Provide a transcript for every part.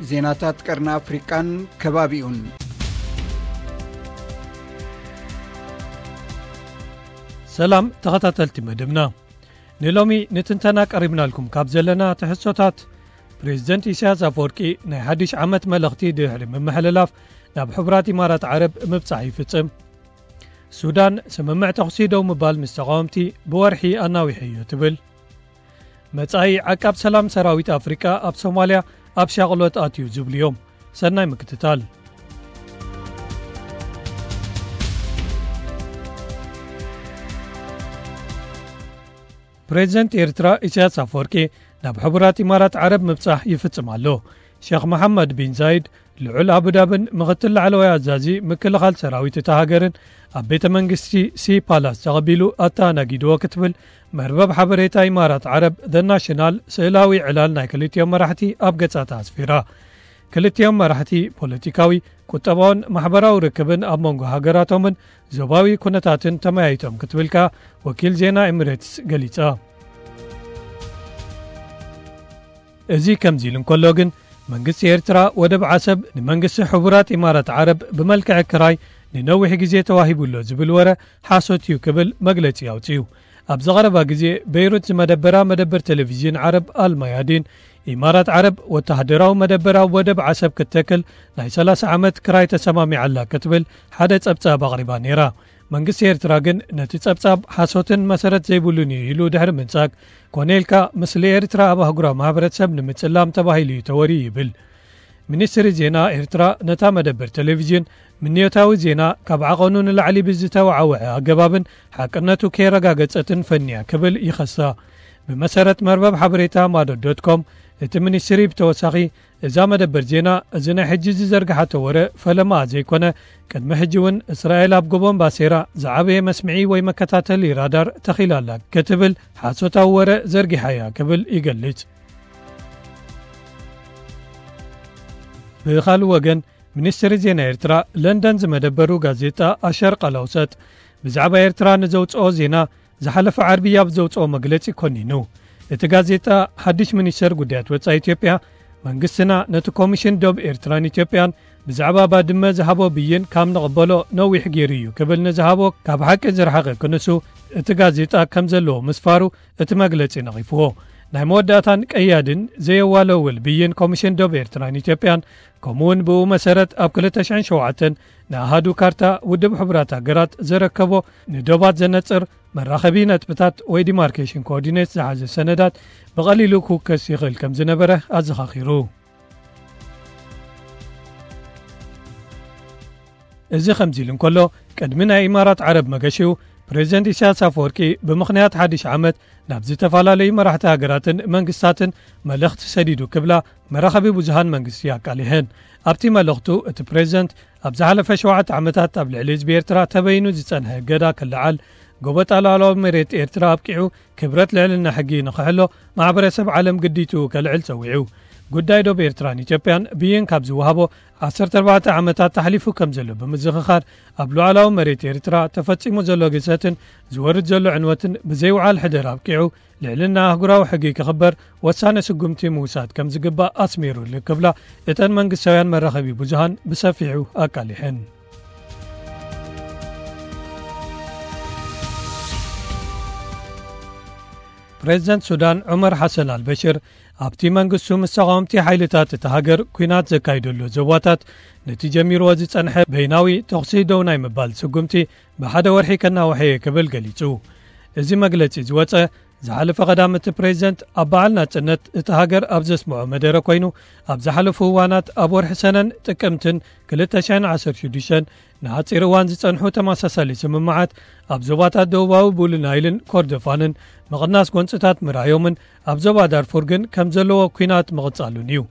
ዜናታት ቀርኒ ኣፍሪቃን ከባቢኡን። ሰላም ተኸታተልቲ መደብና። ንሎሚ ንትንተና ቀሪብናልኩም ካብ ዘለና ትሕዝቶታት፣ ፕሬዚደንት ኢሳያስ ኣፈወርቂ ናይ ሓድሽ ዓመት መልእኽቲ ድሕሪ ምምሕልላፍ ናብ ሕቡራት ኢማራት ዓረብ ምብጻሕ ይፍጽም። ሱዳን ስምምዕ ተኹሲ ደው ምባል ምስ ተቓወምቲ ብወርሒ ኣናዊሐዮ ትብል። መጻኢ ዓቃብ ሰላም ሰራዊት ኣፍሪቃ ኣብ ሶማልያ ኣብ ሻቕሎት ኣትዩ ዝብሉ እዮም። ሰናይ ምክትታል። ፕሬዚደንት ኤርትራ ኢሳያስ ኣፈወርቂ ናብ ሕቡራት ኢማራት ዓረብ ምብጻሕ ይፍጽም ኣሎ። ሸኽ መሓመድ ቢን ዛይድ ልዑል ኣቡዳብን ምኽትል ላዕለዋይ ኣዛዚ ምክልኻል ሰራዊት እታ ሃገርን ኣብ ቤተ መንግስቲ ሲ ፓላስ ተቐቢሉ ኣተኣናጊድዎ ክትብል መርበብ ሓበሬታ ኢማራት ዓረብ ዘ ናሽናል ስእላዊ ዕላል ናይ ክልቲኦም መራሕቲ ኣብ ገጻታ ኣስፊራ። ክልቲኦም መራሕቲ ፖለቲካዊ፣ ቁጠባውን ማሕበራዊ ርክብን ኣብ መንጎ ሃገራቶምን ዞባዊ ኩነታትን ተመያይጦም ክትብል ከኣ ወኪል ዜና ኤሚሬትስ ገሊጻ። እዚ ከምዚ ኢሉ እንከሎ ግን፣ መንግስቲ ኤርትራ ወደብ ዓሰብ ንመንግስቲ ሕቡራት ኢማራት ዓረብ ብመልክዕ ክራይ ንነዊሕ ግዜ ተዋሂቡ ኣሎ ዝብል ወረ ሓሶት እዩ ክብል መግለጺ ኣውጺኡ። ኣብዚ ቀረባ ግዜ ቤይሩት ዝመደበራ መደበር ቴሌቪዥን ዓረብ ኣልማያዲን፣ ኢማራት ዓረብ ወተሃደራዊ መደበር ኣብ ወደብ ዓሰብ ክትተክል ናይ ሰላሳ ዓመት ክራይ ተሰማሚዓ ኣላ ክትብል ሓደ ጸብጻብ ኣቕሪባ ነይራ። መንግስቲ ኤርትራ ግን ነቲ ጸብጻብ ሓሶትን መሰረት ዘይብሉን እዩ ኢሉ ድሕሪ ምንጻግ፣ ኮነ ኢልካ ምስሊ ኤርትራ ኣብ ኣህጉራዊ ማሕበረተሰብ ንምጽላም ተባሂሉ እዩ ተወርዩ ይብል። ሚኒስትሪ ዜና ኤርትራ ነታ መደበር ቴሌቪዥን ምንዮታዊ ዜና ካብ ዓቐኑ ንላዕሊ ብዝተወዓወዐ ኣገባብን ሓቅነቱ ከየረጋገጸትን ፈንያ ክብል ይኸሳ። ብመሰረት መርበብ ሓበሬታ ማዶ ዶት ኮም፣ እቲ ሚኒስትሪ ብተወሳኺ እዛ መደበር ዜና፣ እዚ ናይ ሕጂ ዝዘርግሓቶ ወረ ፈለማ ዘይኮነ፣ ቅድሚ ሕጂ እውን እስራኤል ኣብ ጎቦን ባሴራ ዝዓበየ መስምዒ ወይ መከታተሊ ራዳር ተኺላ ኣላ ክትብል ሓሶታዊ ወረ ዘርጊሓ እያ ክብል ይገልጽ። ብኻልእ ወገን፣ ሚኒስትሪ ዜና ኤርትራ ለንደን ዝመደበሩ ጋዜጣ ኣሸርቅ ኣልኣውሰጥ ብዛዕባ ኤርትራ ንዘውጽኦ ዜና ዝሓለፈ ዓርቢ ኣብ ዘውጽኦ መግለጺ ኮኒኑ። እቲ ጋዜጣ፣ ሓድሽ ሚኒስተር ጉዳያት ወጻኢ ኢትዮጵያ፣ መንግስትና ነቲ ኮሚሽን ዶብ ኤርትራን ኢትዮጵያን ብዛዕባ ባድመ ዝሃቦ ብይን ካብ ንቕበሎ ነዊሕ ገይሩ እዩ ክብል ንዝሃቦ ካብ ሓቂ ዝረሓቐ ክንሱ፣ እቲ ጋዜጣ ከም ዘለዎ ምስፋሩ እቲ መግለጺ ነቒፍዎ። ናይ መወዳእታን ቀያድን ዘየዋለውል ብይን ኮሚሽን ዶብ ኤርትራን ኢትዮጵያን፣ ከምኡውን ብኡ መሰረት ኣብ ክልተ ሽሕን ሸውዓተን ንኣሃዱ ካርታ ውድብ ሕቡራት ሃገራት ዘረከቦ ንዶባት ዘነጽር መራኸቢ ነጥብታት ወይ ዲማርኬሽን ኮኦርዲኔት ዝሓዘ ሰነዳት ብቐሊሉ ክውከስ ይኽእል ከም ዝነበረ ኣዘኻኺሩ። እዚ ከምዚ ኢሉ እንከሎ፣ ቅድሚ ናይ ኢማራት ዓረብ መገሽኡ፣ ፕሬዚደንት ኢሳያስ ኣፈወርቂ ብምኽንያት ሓድሽ ዓመት ናብ ዝተፈላለዩ መራሕቲ ሃገራትን መንግስታትን መልእኽቲ ሰዲዱ ክብላ መራኸቢ ብዙሃን መንግስቲ ኣቃሊሐን። ኣብቲ መልእኽቱ፣ እቲ ፕሬዚደንት ኣብ ዝሓለፈ ሸውዓተ ዓመታት ኣብ ልዕሊ ህዝቢ ኤርትራ ተበይኑ ዝጸንሐ እገዳ ክለዓል፣ ጎበጣ ሉዓላዊ መሬት ኤርትራ ኣብቂዑ፣ ክብረት ልዕልና ሕጊ ንኽሕሎ ማሕበረሰብ ዓለም ግዲትኡ ከልዕል ጸዊዑ። ጉዳይ ዶብ ኤርትራን ኢትዮጵያን ብይን ካብ ዝወሃቦ ዓሰርተ ኣርባዕተ ዓመታት ተሕሊፉ ከም ዘሎ ብምዝኽኻር፣ ኣብ ሉዓላዊ መሬት ኤርትራ ተፈጺሙ ዘሎ ግህሰትን ዝወርድ ዘሎ ዕንወትን ብዘይውዓል ሕደር ኣብቂዑ፣ ልዕልና ኣህጉራዊ ሕጊ ክኽበር ወሳኒ ስጉምቲ ምውሳድ ከም ዝግባእ ኣስሚሩሉ ክብላ እተን መንግስታውያን መራኸቢ ብዙሃን ብሰፊሑ ኣቃሊሐን። ፕሬዚደንት ሱዳን ዑመር ሓሰን ኣልበሽር፣ ኣብቲ መንግስቱ ምስ ተቓወምቲ ሓይልታት እታ ሃገር ኲናት ዘካይደሉ ዞባታት፣ ነቲ ጀሚርዎ ዝጸንሐ በይናዊ ተኹሲ ደው ናይ ምባል ስጉምቲ ብሓደ ወርሒ ከናውሐ እየ ክብል ገሊጹ። እዚ መግለጺ ዝወጸ፣ ዝሓለፈ ቀዳም እቲ ፕሬዚደንት ኣብ በዓል ናጽነት እታ ሃገር ኣብ ዘስምዖ መደረ ኮይኑ፣ ኣብ ዝሓለፉ እዋናት ኣብ ወርሒ ሰነን ጥቅምትን ክልተ ሽሕን ዓሰርተ ሽዱሽተን ንሓጺር እዋን ዝጸንሑ ተመሳሳሊ ስምምዓት ኣብ ዞባታት ደቡባዊ ብሉ ናይልን ኮርዶፋንን ምቕናስ ጎንጽታት ምርኣዮምን ኣብ ዞባ ዳርፉር ግን ከም ዘለዎ ኲናት ምቕጻሉን እዩ።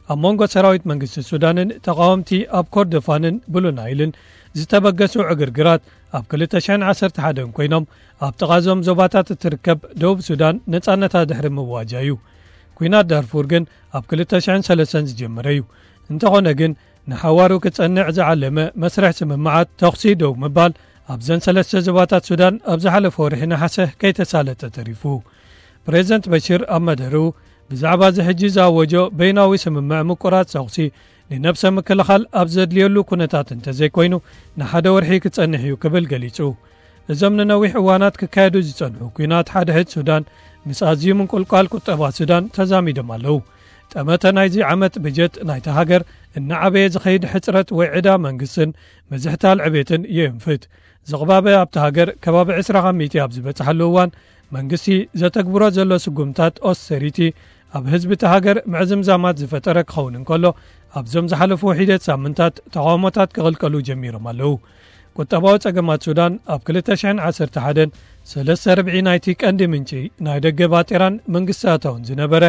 ኣብ መንጎ ሰራዊት መንግስቲ ሱዳንን ተቓወምቲ ኣብ ኮርዶፋንን ብሉ ናይልን ዝተበገሱ ዕግርግራት ኣብ ክልተ ሽሕን ዓሰርተ ሓደን ኮይኖም፣ ኣብ ጥቓ እዞም ዞባታት እትርከብ ደቡብ ሱዳን ነጻነታ ድሕሪ ምዋጃ እዩ። ኲናት ዳርፉር ግን ኣብ ክልተ ሽሕን ሰለስተን ዝጀመረ እዩ። እንተኾነ ግን፣ ንሓዋሩ ክጸንዕ ዝዓለመ መስርሕ ስምምዓት ተኹሲ ደው ምባል ኣብዘን ሰለስተ ዞባታት ሱዳን ኣብ ዝሓለፈ ወርሒ ነሓሰ ከይተሳለጠ ተሪፉ። ፕሬዚደንት በሽር ኣብ መደርኡ፣ ብዛዕባ እዚ ሕጂ ዝኣወጆ በይናዊ ስምምዕ ምቁራጽ ተኹሲ፣ ንነብሰ ምክልኻል ኣብ ዘድልየሉ ኩነታት እንተዘይኮይኑ፣ ንሓደ ወርሒ ክጸንሕ እዩ ክብል ገሊጹ። እዞም ንነዊሕ እዋናት ክካየዱ ዝጸንሑ ኲናት ሓድሕድ ሱዳን፣ ምስ ኣዝዩ ምንቁልቋል ቁጠባ ሱዳን ተዛሚዶም ኣለዉ። ጠመተ ናይዚ ዓመት በጀት ናይታ ሃገር እናዓበየ ዝኸይድ ሕጽረት ወይ ዕዳ መንግስትን ምዝሕታል ዕቤትን የእንፍት። ዝቕባበ ኣብታ ሃገር ከባቢ ዕስራ ካብ ሚእቲ ኣብ ዝበጽሓሉ እዋን፣ መንግስቲ ዘተግብሮ ዘሎ ስጉምታት ኦስተሪቲ ኣብ ህዝቢ እታ ሃገር ምዕዝምዛማት ዝፈጠረ ክኸውን እንከሎ፣ ኣብዞም ዝሓለፉ ሒደት ሳምንታት ተቓውሞታት ክቕልቀሉ ጀሚሮም ኣለዉ። ቁጠባዊ ጸገማት ሱዳን ኣብ ክልተ ሽሕን ዓሰርተ ሓደን ሰለስተ ርብዒ ናይቲ ቀንዲ ምንጪ ናይ ደገ ባጤራን መንግስቲ ኣታውን ዝነበረ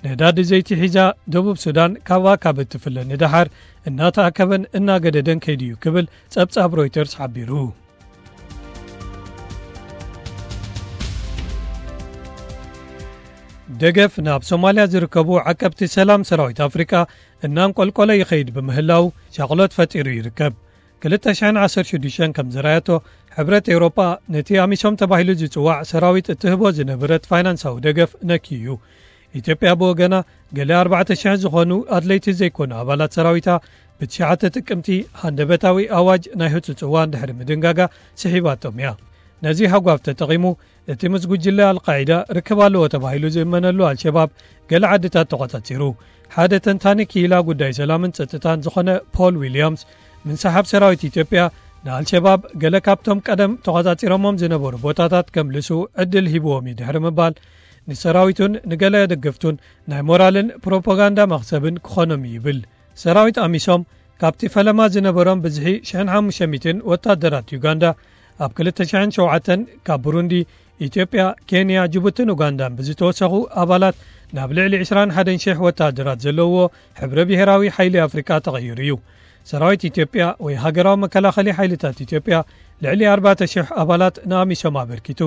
ነዳዲ ዘይቲ ሒዛ፣ ደቡብ ሱዳን ካብኣ ካብ እትፍለ ንደሓር እናተኣከበን እናገደደን ከይዱ እዩ ክብል ጸብጻብ ሮይተርስ ሓቢሩ። ደገፍ ናብ ሶማልያ ዝርከቡ ዓቀብቲ ሰላም ሰራዊት ኣፍሪቃ እናንቆልቆለ ይኸይድ ብምህላው ሻቕሎት ፈጢሩ ይርከብ። ክልተ ሽሕን ዓሰርተ ሽዱሽተን ከም ዘራየቶ፣ ሕብረት ኤውሮጳ ነቲ ኣሚሶም ተባሂሉ ዝጽዋዕ ሰራዊት እትህቦ ዝነበረት ፋይናንሳዊ ደገፍ ነክዩ እዩ። ኢትዮጵያ ብወገና፣ ገለ ኣርባዕተ ሽሕ ዝኾኑ ኣድለይቲ ዘይኮኑ ኣባላት ሰራዊታ ብትሽዓተ ጥቅምቲ ሃንደበታዊ ኣዋጅ ናይ ህጹጽ እዋን ድሕሪ ምድንጋጋ ስሒባቶም እያ። ነዚ ሃጓፍ ተጠቒሙ፣ እቲ ምስ ጉጅለ ኣልቃዒዳ ርክብ ኣለዎ ተባሂሉ ዝእመነሉ ኣልሸባብ ገለ ዓድታት ተቖጻጺሩ። ሓደ ተንታኒ ክኢላ ጉዳይ ሰላምን ጸጥታን ዝኾነ ፖል ዊልያምስ፣ ምንሳሓብ ሰራዊት ኢትዮጵያ ንኣልሸባብ ገለ ካብቶም ቀደም ተቖጻጺሮሞም ዝነበሩ ቦታታት ከምልሱ ዕድል ሂብዎም እዩ ድሕሪ ምባል፣ ንሰራዊቱን ንገለ ደገፍቱን ናይ ሞራልን ፕሮፓጋንዳ መኽሰብን ክኾኖም እዩ ይብል። ሰራዊት ኣሚሶም ካብቲ ፈለማ ዝነበሮም ብዝሒ ሽሕን ሓሙሽተ ሚእትን ወታደራት ዩጋንዳ፣ ኣብ ክልተ ሽሕን ሸውዓተን ካብ ብሩንዲ፣ ኢትዮጵያ፣ ኬንያ፣ ጅቡትን ኡጋንዳን ብዝተወሰኹ ኣባላት ናብ ልዕሊ ዕስራን ሓደን ሽሕ ወታደራት ዘለዎ ሕብረ ብሄራዊ ሓይሊ ኣፍሪቃ ተቐይሩ እዩ። ሰራዊት ኢትዮጵያ ወይ ሃገራዊ መከላኸሊ ሓይልታት ኢትዮጵያ ልዕሊ ኣርባዕተ ሽሕ ኣባላት ንኣሚሶም ኣበርኪቱ።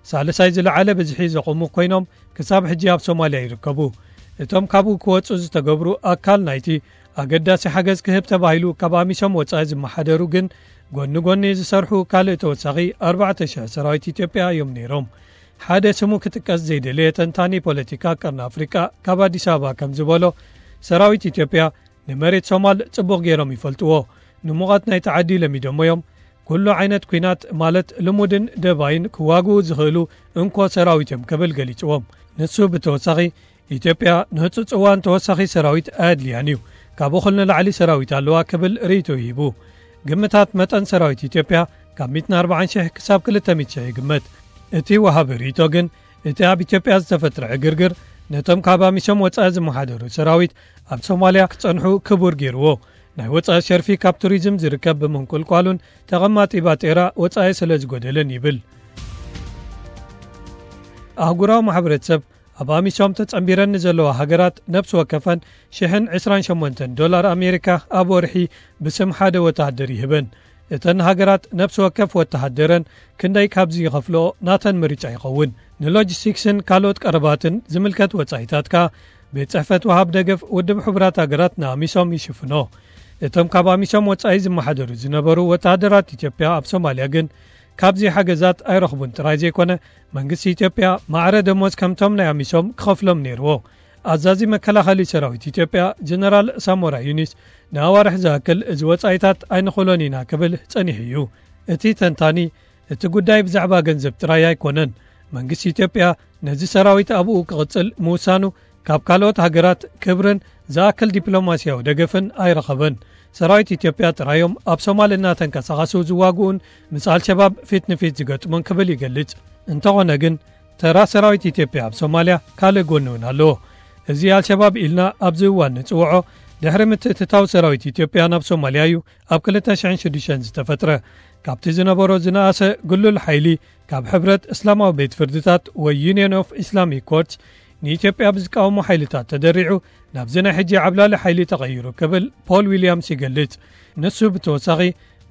ሳልሳይ ዝለዓለ ብዝሒ ዘቑሙ ኮይኖም ክሳብ ሕጂ ኣብ ሶማልያ ይርከቡ። እቶም ካብኡ ክወጹ ዝተገብሩ ኣካል ናይቲ ኣገዳሲ ሓገዝ ክህብ ተባሂሉ ካብ ኣሚሶም ወጻኢ ዝመሓደሩ ግን ጎኒ ጎኒ ዝሰርሑ ካልእ ተወሳኺ ኣርባዕተ ሽሕ ሰራዊት ኢትዮጵያ እዮም ነይሮም። ሓደ ስሙ ክጥቀስ ዘይደለየ ተንታኒ ፖለቲካ ቀርኒ ኣፍሪቃ ካብ ኣዲስ ኣበባ ከም ዝበሎ፣ ሰራዊት ኢትዮጵያ ንመሬት ሶማል ጽቡቕ ገይሮም ይፈልጥዎ። ንሙቐት ናይቲ ዓዲ ለሚዶሞ እዮም። ኩሉ ዓይነት ኲናት ማለት ልሙድን ደባይን ክዋግኡ ዝኽእሉ እንኮ ሰራዊት እዮም ክብል ገሊጽዎም። ንሱ ብተወሳኺ፣ ኢትዮጵያ ንህጹጽ እዋን ተወሳኺ ሰራዊት ኣየድልያን እዩ፣ ካብ እኹል ንላዕሊ ሰራዊት ኣለዋ ክብል ርእይቶ ሂቡ። ግምታት መጠን ሰራዊት ኢትዮጵያ ካብ ሚእትን ኣርባዓን ሽሕ ክሳብ ክልተ ሚእቲ ሽሕ ይግመት። እቲ ወሃቢ ርእይቶ ግን፣ እቲ ኣብ ኢትዮጵያ ዝተፈጥረ ዕግርግር ነቶም ካብ ኣሚሶም ወጻኢ ዝመሓደሩ ሰራዊት ኣብ ሶማልያ ክጸንሑ ክቡር ገይርዎ። ናይ ወጻኢ ሸርፊ ካብ ቱሪዝም ዝርከብ ብምንቁልቋሉን ተቐማጢ ባጤራ ወጻኢ ስለ ዝጎደለን ይብል። ኣህጉራዊ ማሕበረተሰብ ኣብ ኣሚሶም ተጸንቢረን ንዘለዋ ሃገራት ነፍሲ ወከፈን ሽሕን ዕስራን ሸሞንተን ዶላር ኣሜሪካ ኣብ ወርሒ ብስም ሓደ ወተሃደር ይህበን። እተን ሃገራት ነፍሲ ወከፍ ወተሃደረን ክንደይ ካብዚ ይኸፍልኦ ናተን ምርጫ ይኸውን። ንሎጂስቲክስን ካልኦት ቀረባትን ዝምልከት ወጻኢታት ከኣ ቤት ጽሕፈት ወሃብ ደገፍ ውድብ ሕቡራት ሃገራት ንኣሚሶም ይሽፍኖ። እቶም ካብ ኣሚሶም ወጻኢ ዝመሓደሩ ዝነበሩ ወተሃደራት ኢትዮጵያ ኣብ ሶማልያ ግን ካብዚ ሓገዛት ኣይረኽቡን ጥራይ ዘይኮነ፣ መንግስቲ ኢትዮጵያ ማዕረ ደሞዝ ከምቶም ናይ ኣሚሶም ክኸፍሎም ነይርዎ። ኣዛዚ መከላኸሊ ሰራዊት ኢትዮጵያ ጀነራል ሳሞራ ዩኒስ ንኣዋርሕ ዝኣክል እዚ ወጻኢታት ኣይንኽእሎን ኢና ክብል ጸኒሑ እዩ። እቲ ተንታኒ፣ እቲ ጉዳይ ብዛዕባ ገንዘብ ጥራይ ኣይኮነን። መንግስቲ ኢትዮጵያ ነዚ ሰራዊት ኣብኡ ክቕጽል ምውሳኑ ካብ ካልኦት ሃገራት ክብርን ዝኣክል ዲፕሎማስያዊ ደገፍን ኣይረኸበን። ሰራዊት ኢትዮጵያ ጥራዮም ኣብ ሶማል እናተንቀሳቐሱ ዝዋግኡን ምስ ኣልሸባብ ፊት ንፊት ዝገጥሙን ክብል ይገልጽ። እንተኾነ ግን፣ ተራ ሰራዊት ኢትዮጵያ ኣብ ሶማልያ ካልእ ጎኒ እውን ኣለዎ። እዚ ኣልሸባብ ኢልና ኣብዚ እዋን ንጽውዖ፣ ድሕሪ ምትእትታው ሰራዊት ኢትዮጵያ ናብ ሶማልያ እዩ ኣብ ክልተ ሽሕን ሽዱሽተን ዝተፈጥረ። ካብቲ ዝነበሮ ዝነኣሰ ግሉል ሓይሊ፣ ካብ ሕብረት እስላማዊ ቤት ፍርድታት ወይ ዩኒየን ኦፍ ኢስላሚክ ኮርትስ፣ ንኢትዮጵያ ብዝቃወሙ ሓይልታት ተደሪዑ፣ ናብዚ ናይ ሕጂ ዓብላሊ ሓይሊ ተቐይሩ ክብል ፖል ዊልያምስ ይገልጽ። ንሱ ብተወሳኺ፣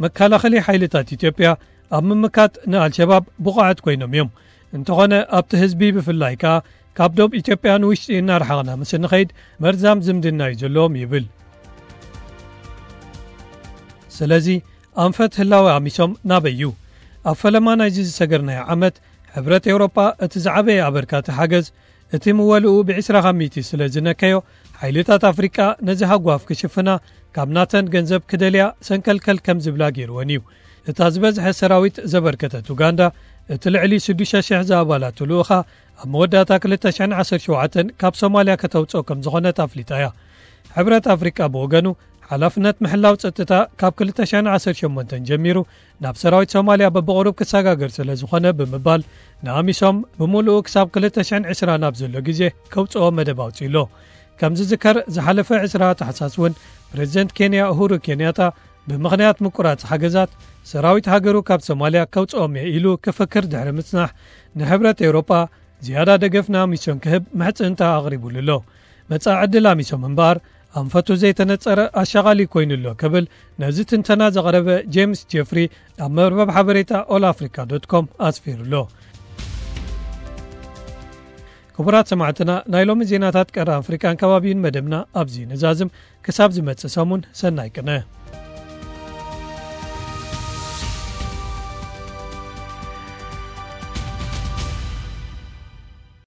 መከላኸሊ ሓይልታት ኢትዮጵያ ኣብ ምምካት ንኣልሸባብ ብቑዓት ኮይኖም እዮም። እንተኾነ ኣብቲ ህዝቢ ብፍላይ ከኣ ካብ ዶብ ኢትዮጵያ ንውሽጢ እናረሓቕና ምስ እንኸይድ መርዛም ዝምድና እዩ ዘለዎም ይብል። ስለዚ ኣንፈት ህላወ ኣሚሶም ናበይ እዩ? ኣብ ፈለማ ናይዚ ዝሰገርናዮ ዓመት ሕብረት ኤውሮጳ እቲ ዝዓበየ ኣበርካቲ ሓገዝ እቲ ምወልኡ ብ20 ካብ ሚእቲ ስለ ዝነከዮ፣ ሓይልታት ኣፍሪቃ ነዚ ሃጓፍ ክሽፍና ካብ ናተን ገንዘብ ክደልያ ሰንከልከል ከም ዝብላ ገይርወን እዩ። እታ ዝበዝሐ ሰራዊት ዘበርከተት ኡጋንዳ፣ እቲ ልዕሊ ሽዱሽተ ሽሕ ዝኣባላቱ ልኡኻ ኣብ መወዳእታ ክልተ ሽሕን ዓሰርተ ሸውዓተን ካብ ሶማልያ ከተውፅኦ ከም ዝኾነት ኣፍሊጣ እያ። ሕብረት ኣፍሪቃ ብወገኑ፣ ሓላፍነት ምሕላው ጸጥታ ካብ ክልተ ሽሕን ዓሰርተ ሸሞንተን ጀሚሩ ናብ ሰራዊት ሶማልያ በብቕሩብ ክሰጋገር ስለ ዝኾነ ብምባል፣ ንኣሚሶም ብምሉኡ ክሳብ ክልተ ሽሕን ዕስራን ኣብ ዘሎ ግዜ ከውጽኦ መደብ ኣውጺኡ ኣሎ። ከም ዝዝከር፣ ዝሓለፈ ዕስራ ታሕሳስ እውን ፕሬዚደንት ኬንያ ኡሁሩ ኬንያታ፣ ብምኽንያት ምቁራጽ ሓገዛት፣ ሰራዊት ሃገሩ ካብ ሶማልያ ከውጽኦም እየ ኢሉ ክፍክር ድሕሪ ምጽናሕ፣ ንሕብረት ኤውሮጳ ዝያዳ ደገፍ ንኣሚሶም ክህብ ምሕጽንታ ኣቕሪቡሉ ኣሎ። መጻኢ ዕድል ኣሚሶም እምበኣር ኣንፈቱ ዘይተነጸረ ኣሻቓሊ ኮይኑ ኣሎ ክብል ነዚ ትንተና ዘቕረበ ጄምስ ጄፍሪ ኣብ መርበብ ሓበሬታ ኦል ኣፍሪካ ዶት ኮም ኣስፊሩ ኣሎ። ክቡራት ሰማዕትና፣ ናይ ሎሚ ዜናታት ቀረ ኣፍሪካን ከባቢን መደብና ኣብዚ ንዛዝም። ክሳብ ዝመጽእ ሰሙን፣ ሰናይ ቅነ።